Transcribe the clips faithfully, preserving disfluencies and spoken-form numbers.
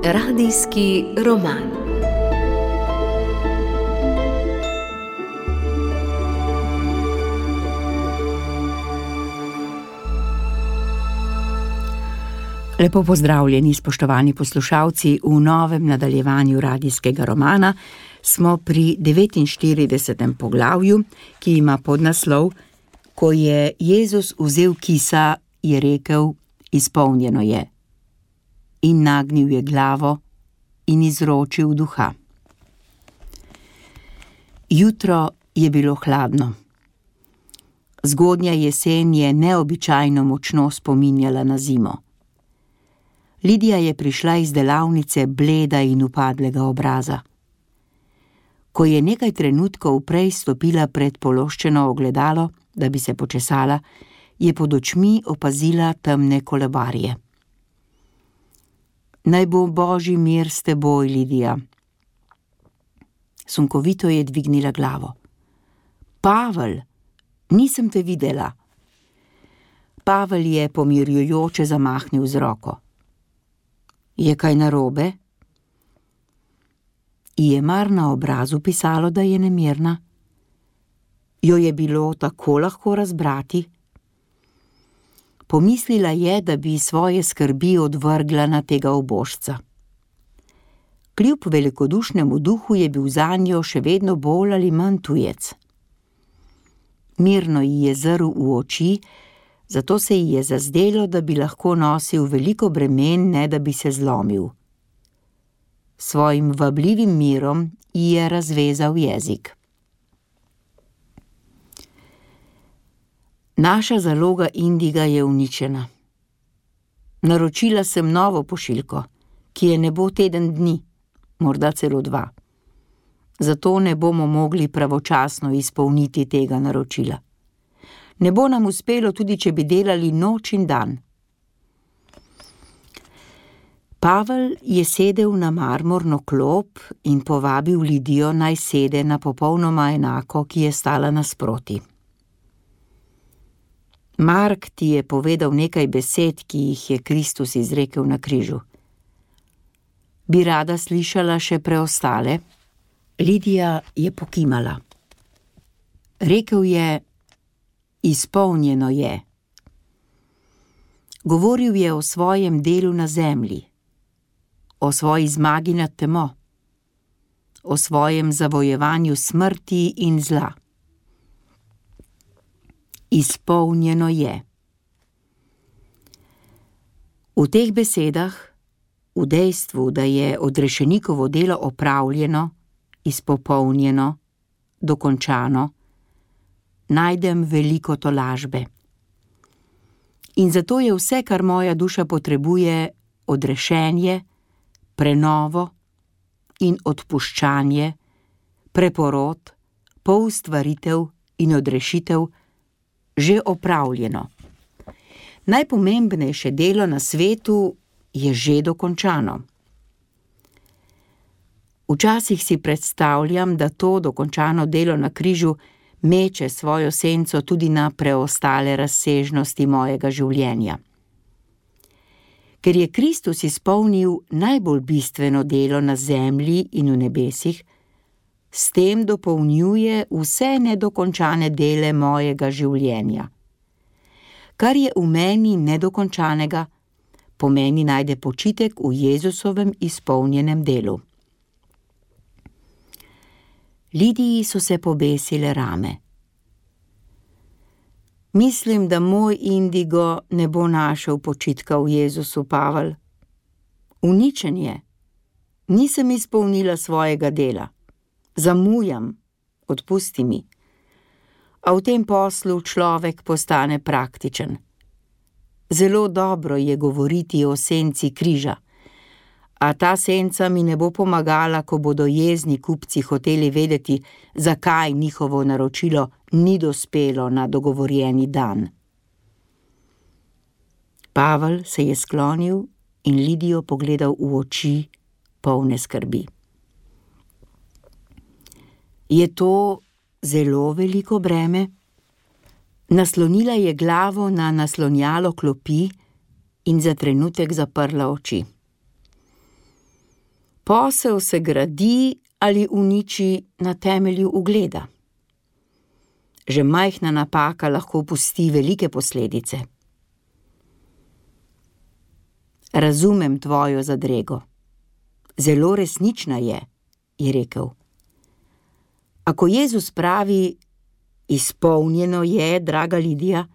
Radijski roman. Lepo pozdravljeni, spoštovani poslušalci, v novem nadaljevanju radijskega romana. Smo pri devetinštiridesetem poglavju, ki ima podnaslov Ko je Jezus vzel kisa, je rekel, izpolnjeno je. In nagnil je glavo in izročil duha. Jutro je bilo hladno. Zgodnja jesen je neobičajno močno spominjala na zimo. Lidija je prišla iz delavnice bleda in upadlega obraza. Ko je nekaj trenutkov prej stopila pred pološčeno ogledalo, da bi se počesala, je pod očmi opazila temne kolebarje. Naj bo Božji mir s teboj, Lidija. Sunkovito je dvignila glavo. Pavel, nisem te videla. Pavel je pomirjujoče zamahnil z roko. Je kaj narobe? Je mar na obrazu pisalo, da je nemirna? Jo je bilo tako lahko razbrati? Pomislila je, da bi svoje skrbi odvrgla na tega ubožca. Kljub velikodušnemu duhu je bil zanjo še vedno bolj ali manj tujec. Mirno ji je zrl v oči, zato se ji je zazdelo, da bi lahko nosil veliko bremen, ne da bi se zlomil. Svojim vabljivim mirom ji je razvezal jezik. Naša zaloga indiga je uničena. Naročila sem novo pošiljko, ki je ne bo teden dni, morda celo dva. Zato ne bomo mogli pravočasno izpolniti tega naročila. Ne bo nam uspelo, tudi če bi delali noč in dan. Pavel je sedel na marmorno klop in povabil Lidijo, naj sede na popolnoma enako, ki je stala nasproti. Mark ti je povedal nekaj besed, ki jih je Kristus izrekel na križu. Bi rada slišala še preostale? Lidija je pokimala. Rekel je, izpolnjeno je. Govoril je o svojem delu na zemlji, o svoji zmagi nad temo, o svojem zavojevanju smrti in zla. Izpolnjeno je. V teh besedah, v dejstvu, da je odrešenikovo delo opravljeno, izpopolnjeno, dokončano, najdem veliko tolažbe. In zato je vse, kar moja duša potrebuje, odrešenje, prenovo in odpuščanje, preporod, poustvaritev in odrešitev, že opravljeno. Najpomembnejše delo na svetu je že dokončano. Včasih si predstavljam, da to dokončano delo na križu meče svojo senco tudi na preostale razsežnosti mojega življenja. Ker je Kristus izpolnil najbolj bistveno delo na zemlji in v nebesih, s tem dopolnjuje vse nedokončane dele mojega življenja. Kar je v meni nedokončanega, pomeni najde počitek v Jezusovem izpolnjenem delu. Lidiji so se pobesile rame. Mislim, da moj indigo ne bo našel počitka v Jezusu, Pavel. Uničen je. Nisem izpolnila svojega dela. Zamujam, odpusti mi. A v tem poslu človek postane praktičen. Zelo dobro je govoriti o senci križa, a ta senca mi ne bo pomagala, ko bodo jezni kupci hoteli vedeti, zakaj njihovo naročilo ni dospelo na dogovorjeni dan. Pavel se je sklonil in Lidijo pogledal v oči, polne skrbi. Je to zelo veliko breme? Naslonila je glavo na naslonjalo klopi in za trenutek zaprla oči. Posel se gradi ali uniči na temelju ugleda. Že majhna napaka lahko pusti velike posledice. Razumem tvojo zadrego. Zelo resnična je, je rekel. Ako Jezus pravi, izpolnjeno je, draga Lidija,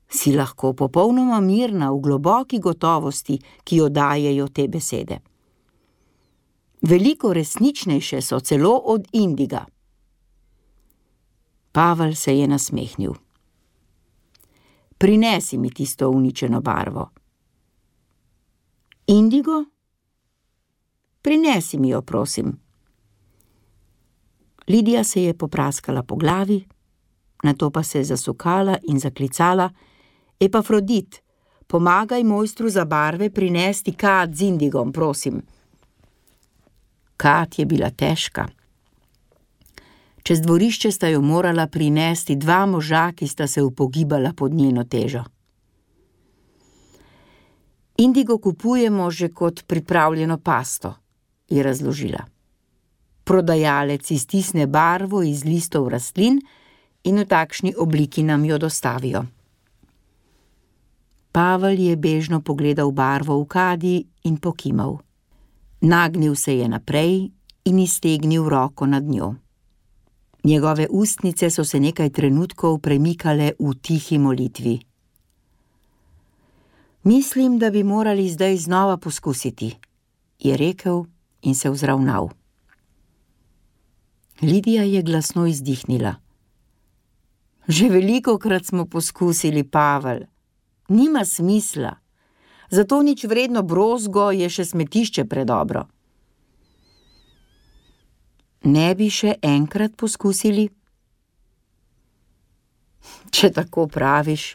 si lahko popolnoma mirna v globoki gotovosti, ki jo dajejo te besede. Veliko resničnejše so celo od indiga. Pavel se je nasmehnil. Prinesi mi tisto uničeno barvo. Indigo? Prinesi mi jo, prosim. Lidija se je popraskala po glavi, nato pa se je zasukala in zaklicala: Epafrodit, pomagaj mojstru za barve prinesti kad z indigom, prosim. Kad je bila težka. Čez dvorišče sta jo morala prinesti dva moža, ki sta se upogibala pod njeno težo. Indigo kupujemo že kot pripravljeno pasto, je razložila. Prodajalec iztisne barvo iz listov rastlin in v takšni obliki nam jo dostavijo. Pavel je bežno pogledal barvo v kadi in pokimal. Nagnil se je naprej in iztegnil roko nad njo. Njegove ustnice so se nekaj trenutkov premikale v tihi molitvi. Mislim, da bi morali zdaj znova poskusiti, je rekel in se vzravnal. Lidija je glasno izdihnila. Že velikokrat smo poskusili, Pavel. Nima smisla. Zato nič vredno brozgo je še smetišče predobro. Ne bi še enkrat poskusili? Če tako praviš.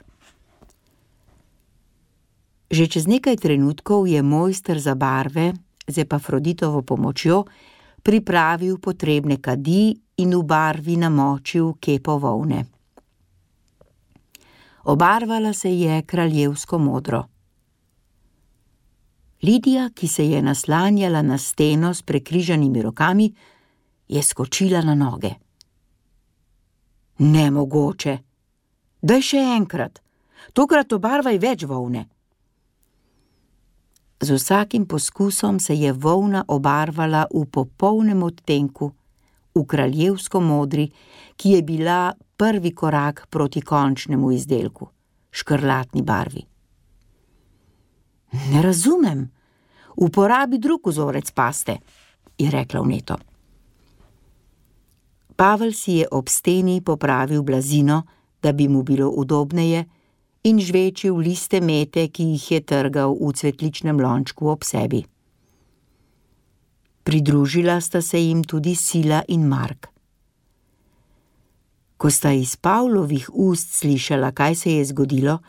Že čez nekaj trenutkov je mojster za barve z Epafroditovo pomočjo pripravil potrebne kadi in v barvi namočil kepo volne. Obarvala se je kraljevsko modro. Lidija, ki se je naslanjala na steno s prekrižanimi rokami, je skočila na noge. Nemogoče. Daj še enkrat. Tokrat obarvaj več volne. Z vsakim poskusom se je volna obarvala v popolnem odtenku, v kraljevsko modri, ki je bila prvi korak proti končnemu izdelku, škrlatni barvi. Ne razumem. Uporabi drug vzorec paste, je rekla vneto. Pavel si je ob steni popravil blazino, da bi mu bilo udobneje, in žvečil liste mete, ki jih je trgal v cvetličnem lončku ob sebi. Pridružila sta se jim tudi Sila in Mark. Ko sta iz Pavlovih ust slišala, kaj se je zgodilo,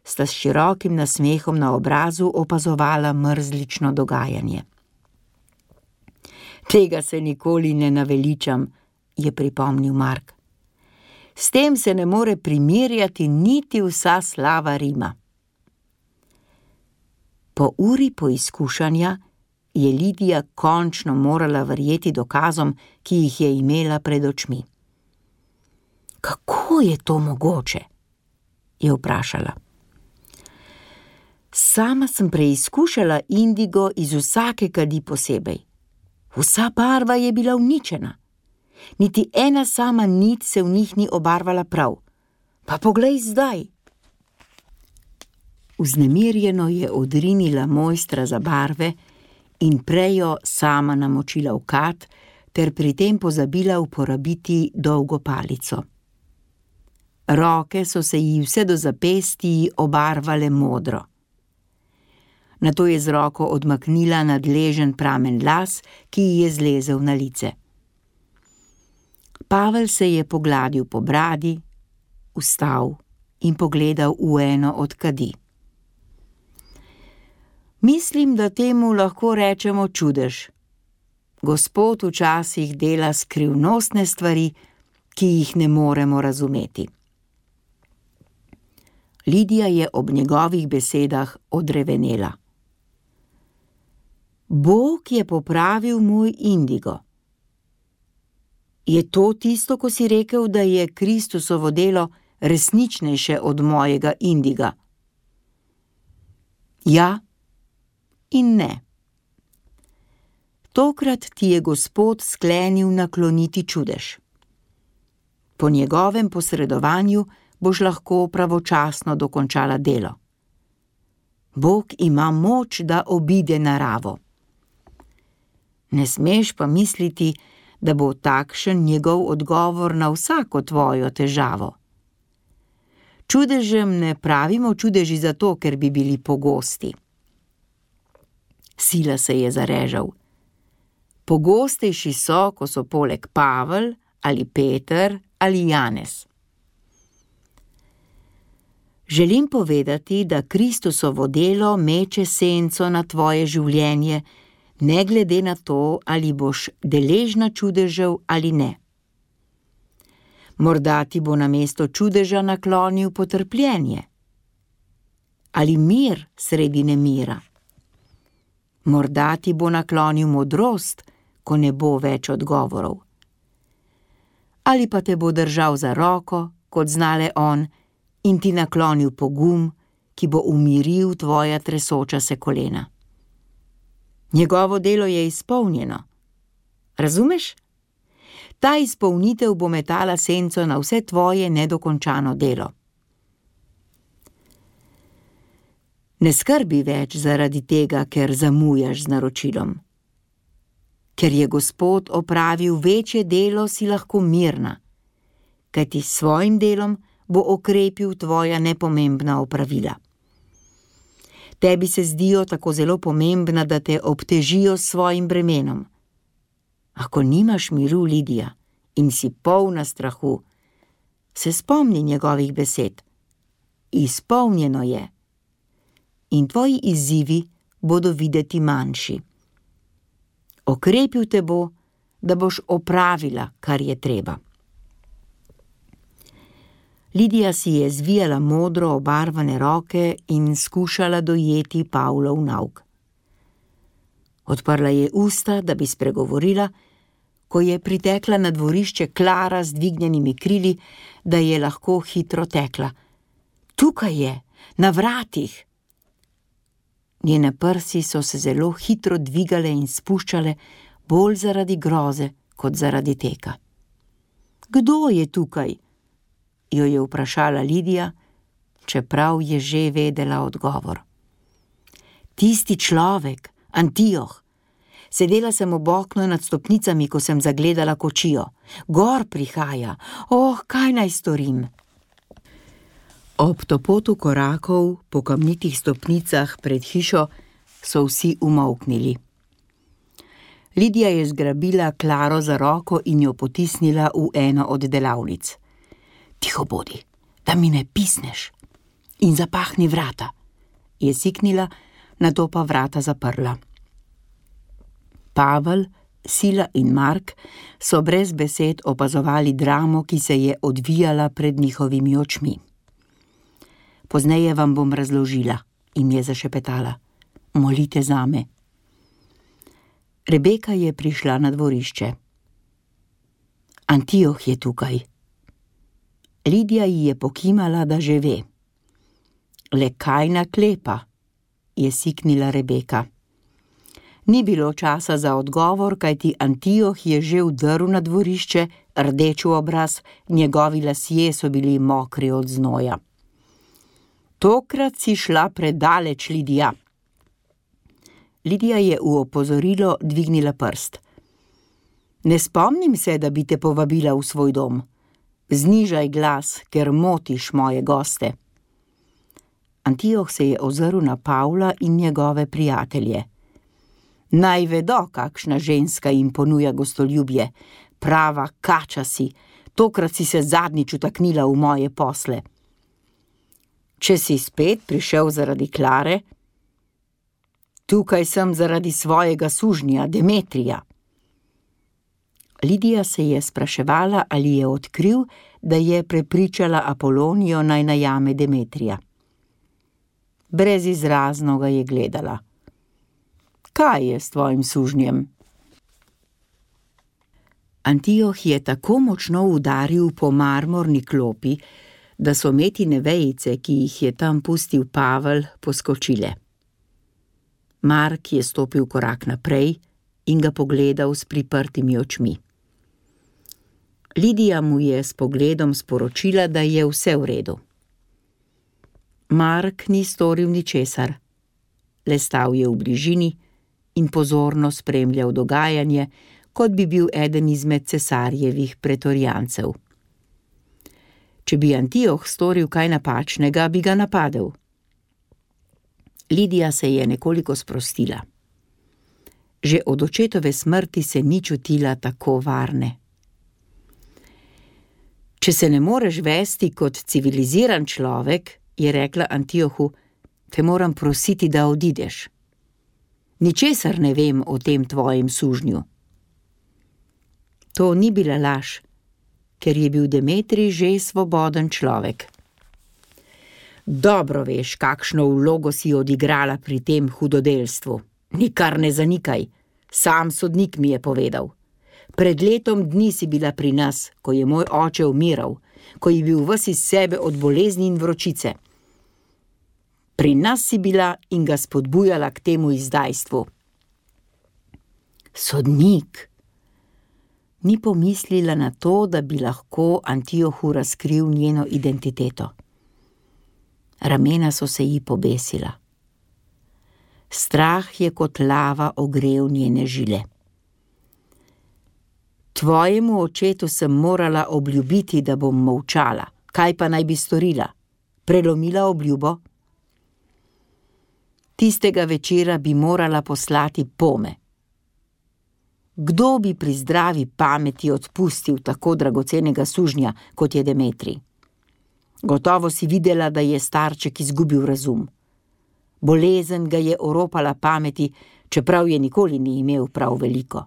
sta s širokim nasmehom na obrazu opazovala mrzlično dogajanje. Tega se nikoli ne naveličam, je pripomnil Mark. S tem se ne more primerjati niti vsa slava Rima. Po uri poizkušanja je Lidija končno morala verjeti dokazom, ki jih je imela pred očmi. Kako je to mogoče? Je vprašala. Sama sem preizkušala indigo iz vsake kadi posebej. Vsa barva je bila uničena. Niti ena sama nit se v njih ni obarvala prav. Pa poglej zdaj. Vznemirjeno je odrinila mojstra za barve in prejo sama namočila v kad, ter pri tem pozabila uporabiti dolgo palico. Roke so se ji vse do zapestij obarvale modro. Nato je z roko odmaknila nadležen pramen las, ki ji je zlezel na lice. Pavel se je pogladil po bradi, vstal in pogledal v eno od kadi. Mislim, da temu lahko rečemo čudež. Gospod včasih dela skrivnostne stvari, ki jih ne moremo razumeti. Lidija je ob njegovih besedah odrevenela. Bog je popravil moj indigo. Je to tisto, ko si rekel, da je Kristusovo delo resničnejše od mojega indiga? Ja in ne. Tokrat ti je Gospod sklenil nakloniti čudež. Po njegovem posredovanju boš lahko pravočasno dokončala delo. Bog ima moč, da obide naravo. Ne smeš pa misliti, da bo takšen njegov odgovor na vsako tvojo težavo. Čudežem ne pravimo čudeži zato, ker bi bili pogosti. Sila se je zarežal. Pogostejši so, ko so poleg Pavel ali Peter ali Janez. Želim povedati, da Kristusovo delo meče senco na tvoje življenje, ne glede na to, ali boš deležna čudežev ali ne. Morda ti bo namesto čudeža naklonil potrpljenje. Ali mir sredi nemira. Morda ti bo naklonil modrost, ko ne bo več odgovorov. Ali pa te bo držal za roko, kot znale on, in ti naklonil pogum, ki bo umiril tvoja tresoča se kolena. Njegovo delo je izpolnjeno. Razumeš? Ta izpolnitev bo metala senco na vse tvoje nedokončano delo. Ne skrbi več zaradi tega, ker zamujaš z naročilom. Ker je Gospod opravil večje delo, si lahko mirna, kajti s svojim delom bo okrepil tvoja nepomembna opravila. Tebi se zdijo tako zelo pomembna, da te obtežijo s svojim bremenom. Ako nimaš miru, Lidija, in si polna strahu, se spomni njegovih besed. Izpolnjeno je. In tvoji izzivi bodo videti manjši. Okrepil te bo, da boš opravila, kar je treba. Lidija si je zvijala modro obarvane roke in skušala dojeti Pavlov nauk. Odprla je usta, da bi spregovorila, ko je pritekla na dvorišče Klara z dvignjenimi krili, da je lahko hitro tekla. Tukaj je, na vratih! Njene prsi so se zelo hitro dvigale in spuščale, bolj zaradi groze kot zaradi teka. Kdo je tukaj? Jo je vprašala Lidija, čeprav je že vedela odgovor. Tisti človek, Antioh. Sedela sem ob oknu nad stopnicami, ko sem zagledala kočijo. Gor prihaja. Oh, kaj naj storim? Ob topotu korakov po kamnitih stopnicah pred hišo so vsi umolknili. Lidija je zgrabila Klaro za roko in jo potisnila v eno od delavnic. Tiho bodi, da mi ne pisneš. In zapahni vrata, je siknila, nato pa vrata zaprla. Pavel, Sila in Mark so brez besed opazovali dramo, ki se je odvijala pred njihovimi očmi. Pozneje vam bom razložila, jim je zašepetala. Molite zame. Rebeka je prišla na dvorišče. Antioh je tukaj. Lidija ji je pokimala, da že ve. Le kaj naklepa, je siknila Rebeka. Ni bilo časa za odgovor, kajti Antioh je že vdrl na dvorišče, rdeč v obraz, njegovi lasje so bili mokri od znoja. Tokrat si šla predaleč, Lidija. Lidija je v opozorilo dvignila prst. Ne spomnim se, da bi te povabila v svoj dom. Znižaj glas, ker motiš moje goste. Antioh se je ozrl na Pavla in njegove prijatelje. Naj vedo, kakšna ženska jim ponuja gostoljubje. Prava kača si, tokrat si se zadnjič vtaknila v moje posle. Če si spet prišel zaradi Klare, tukaj sem zaradi svojega sužnja, Demetrija. Lidija se je spraševala, ali je odkril, da je prepričala Apolonijo naj najame Demetrija. Brezizrazno ga je gledala. Kaj je s tvojim sužnjem? Antioh je tako močno udaril po marmorni klopi, da so metine vejice, ki jih je tam pustil Pavel, poskočile. Mark je stopil korak naprej in ga pogledal s priprtimi očmi. Lidija mu je s pogledom sporočila, da je vse v redu. Mark ni storil ničesar, le stal je v bližini in pozorno spremljal dogajanje, kot bi bil eden izmed cesarjevih pretorijancev. Če bi Antioh storil kaj napačnega, bi ga napadel. Lidija se je nekoliko sprostila. Že od očetove smrti se ni čutila tako varne. Če se ne moreš vesti kot civiliziran človek, je rekla Antiohu, te moram prositi, da odideš. Ničesar ne vem o tem tvojem sužnju. To ni bila laž, ker je bil Demetrij že svoboden človek. Dobro veš, kakšno vlogo si odigrala pri tem hudodelstvu. Nikar ne zanikaj, sam sodnik mi je povedal. Pred letom dni si bila pri nas, ko je moj oče umiral, ko je bil ves iz sebe od bolezni in vročice. Pri nas si bila in ga spodbujala k temu izdajstvu. Sodnik! Ni pomislila na to, da bi lahko Antiohu razkril njeno identiteto. Ramena so se ji pobesila. Strah je kot lava ogrel njene žile. Tvojemu očetu sem morala obljubiti, da bom molčala. Kaj pa naj bi storila? Prelomila obljubo? Tistega večera bi morala poslati pome. Kdo bi pri zdravi pameti odpustil tako dragocenega sužnja, kot je Demetrij? Gotovo si videla, da je starček izgubil razum. Bolezen ga je oropala pameti, čeprav je nikoli ni imel prav veliko.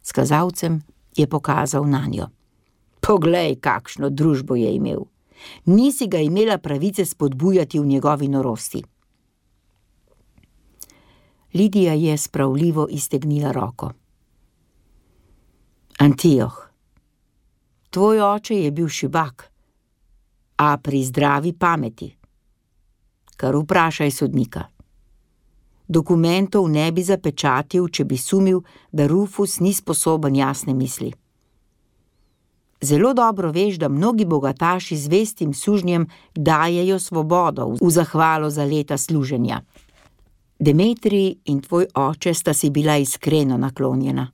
S kazalcem je pokazal nanjo. Poglej, kakšno družbo je imel. Nisi ga imela pravice spodbujati v njegovi norosti. Lidija je spravljivo iztegnila roko. Antioh, tvoj oče je bil šibak, a pri zdravi pameti. Kar vprašaj sodnika. Dokumentov ne bi zapečatil, če bi sumil, da Rufus ni sposoben jasne misli. Zelo dobro veš, da mnogi bogataši z vestim sužnjem dajejo svobodo v zahvalo za leta služenja. Demetrij in tvoj oče sta si bila iskreno naklonjena.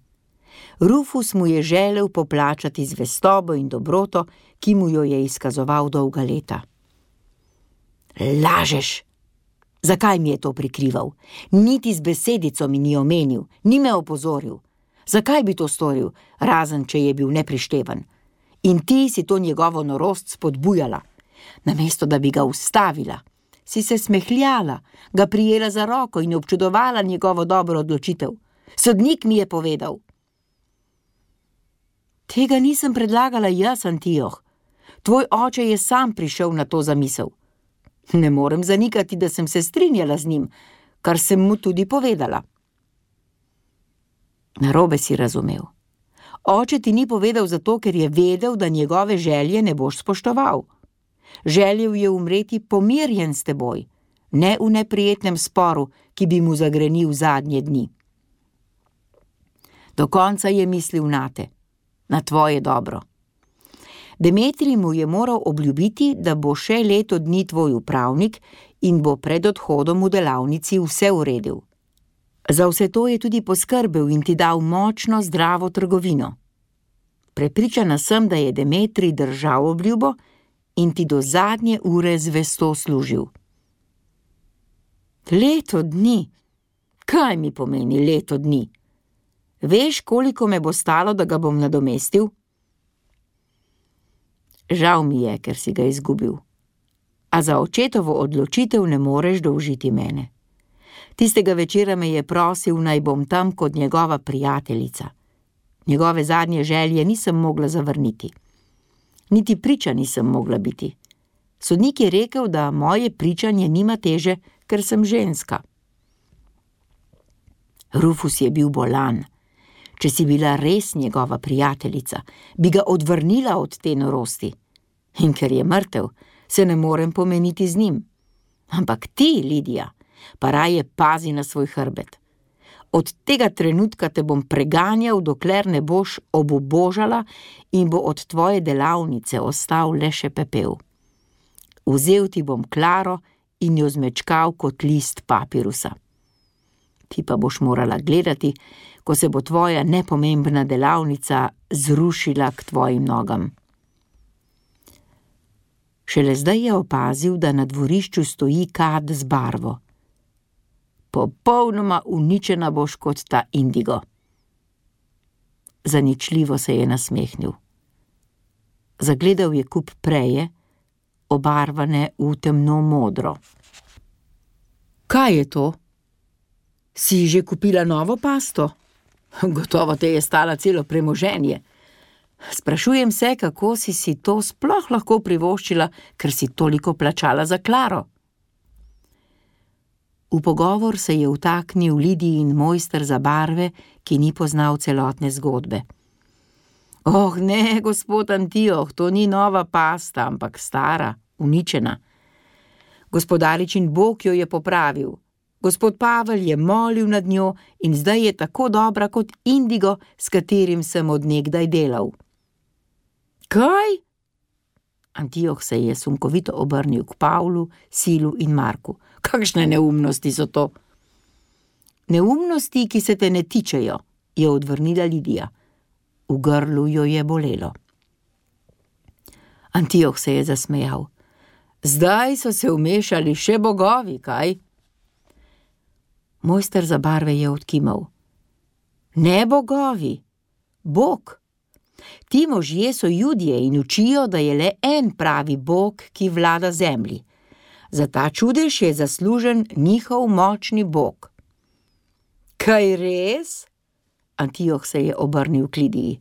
Rufus mu je želel poplačati zvestobo in dobroto, ki mu jo je izkazoval dolga leta. Lažeš! Zakaj mi je to prikrival? Niti z besedico mi ni omenil, ni me opozoril. Zakaj bi to storil, razen če je bil neprišteven? In ti si to njegovo norost spodbujala. Namesto da bi ga ustavila, si se smehljala, ga prijela za roko in občudovala njegovo dobro odločitev. Sodnik mi je povedal. Tega nisem predlagala jaz, Antioh. Tvoj oče je sam prišel na to zamisel. Ne morem zanikati, da sem se strinjala z njim, kar sem mu tudi povedala. Narobe si razumel. Oče ti ni povedal zato, ker je vedel, da njegove želje ne boš spoštoval. Želel je umreti pomirjen s teboj, ne v neprijetnem sporu, ki bi mu zagrenil zadnje dni. Do konca je mislil nate, na tvoje dobro. Demetrij mu je moral obljubiti, da bo še leto dni tvoj upravnik in bo pred odhodom v delavnici vse uredil. Za vse to je tudi poskrbel in ti dal močno, zdravo trgovino. Prepričana sem, da je Demetrij držal obljubo in ti do zadnje ure zvesto služil. Leto dni? Kaj mi pomeni leto dni? Veš, koliko me bo stalo, da ga bom nadomestil? Žal mi je, ker si ga izgubil. A za očetovo odločitev ne moreš dolžiti mene. Tistega večera me je prosil, naj bom tam kot njegova prijateljica. Njegove zadnje želje nisem mogla zavrniti. Niti priča nisem mogla biti. Sodnik je rekel, da moje pričanje nima teže, ker sem ženska. Rufus je bil bolan. Če si bila res njegova prijateljica, bi ga odvrnila od te norosti. In ker je mrtev, se ne morem pomeniti z njim. Ampak ti, Lidija, pa raje pazi na svoj hrbet. Od tega trenutka te bom preganjal, dokler ne boš obubožala in bo od tvoje delavnice ostal le še pepel. Vzel ti bom Klaro in jo zmečkal kot list papirusa. Ti pa boš morala gledati, ko se bo tvoja nepomembna delavnica zrušila k tvojim nogam. Šele zdaj je opazil, da na dvorišču stoji kad z barvo. Popolnoma uničena boš kot ta indigo. Zaničljivo se je nasmehnil. Zagledal je kup preje, obarvane v temno modro. Kaj je to? Si že kupila novo pasto? Gotovo te je stala celo premoženje. Sprašujem se, kako si si to sploh lahko privoščila, ker si toliko plačala za Klaro. V pogovor se je vtaknil Lidijin mojster za barve, ki ni poznal celotne zgodbe. Oh, ne, gospod Antioh, to ni nova pasta, ampak stara, uničena. Gospodaričin Bog jo je popravil. Gospod Pavel je molil nad njo in zdaj je tako dobra kot indigo, s katerim sem od nekdaj delal. Kaj? Antioh se je sunkovito obrnil k Pavlu, Silu in Marku. Kakšne neumnosti so to? Neumnosti, ki se te ne tičejo, je odvrnila Lidija. V grlu jo je bolelo. Antioh se je zasmejal. Zdaj so se vmešali še bogovi, kaj? Mojster za barve je odkimal. Ne bogovi, Bog. Ti možje so Judje in učijo, da je le en pravi Bog, ki vlada zemlji. Za ta čudež je zaslužen njihov močni Bog. Kaj res? Antioh se je obrnil k Lidiji.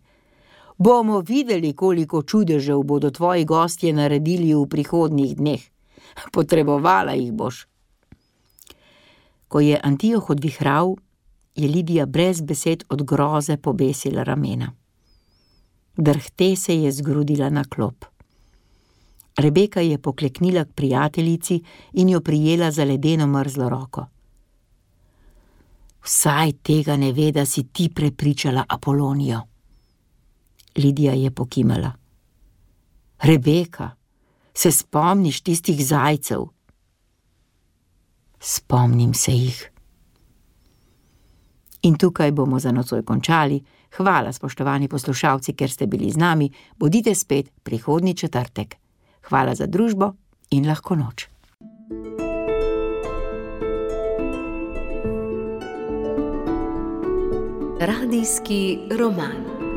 Bomo videli, koliko čudežev bodo tvoji gostje naredili v prihodnjih dneh. Potrebovala jih boš. Ko je Antioh odvihral, je Lidija brez besed od groze pobesila ramena. Drhte se je zgrudila na klop. Rebeka je pokleknila k prijateljici in jo prijela za ledeno mrzlo roko. Vsaj tega ne ve, da si ti prepričala Apolonijo. Lidija je pokimala. Rebeka, se spomniš tistih zajcev? Spomnim se jih. In tukaj bomo za nocoj končali. Hvala, spoštovani poslušalci, ker ste bili z nami. Bodite spet prihodnji četrtek. Hvala za družbo in lahko noč. Radijski roman.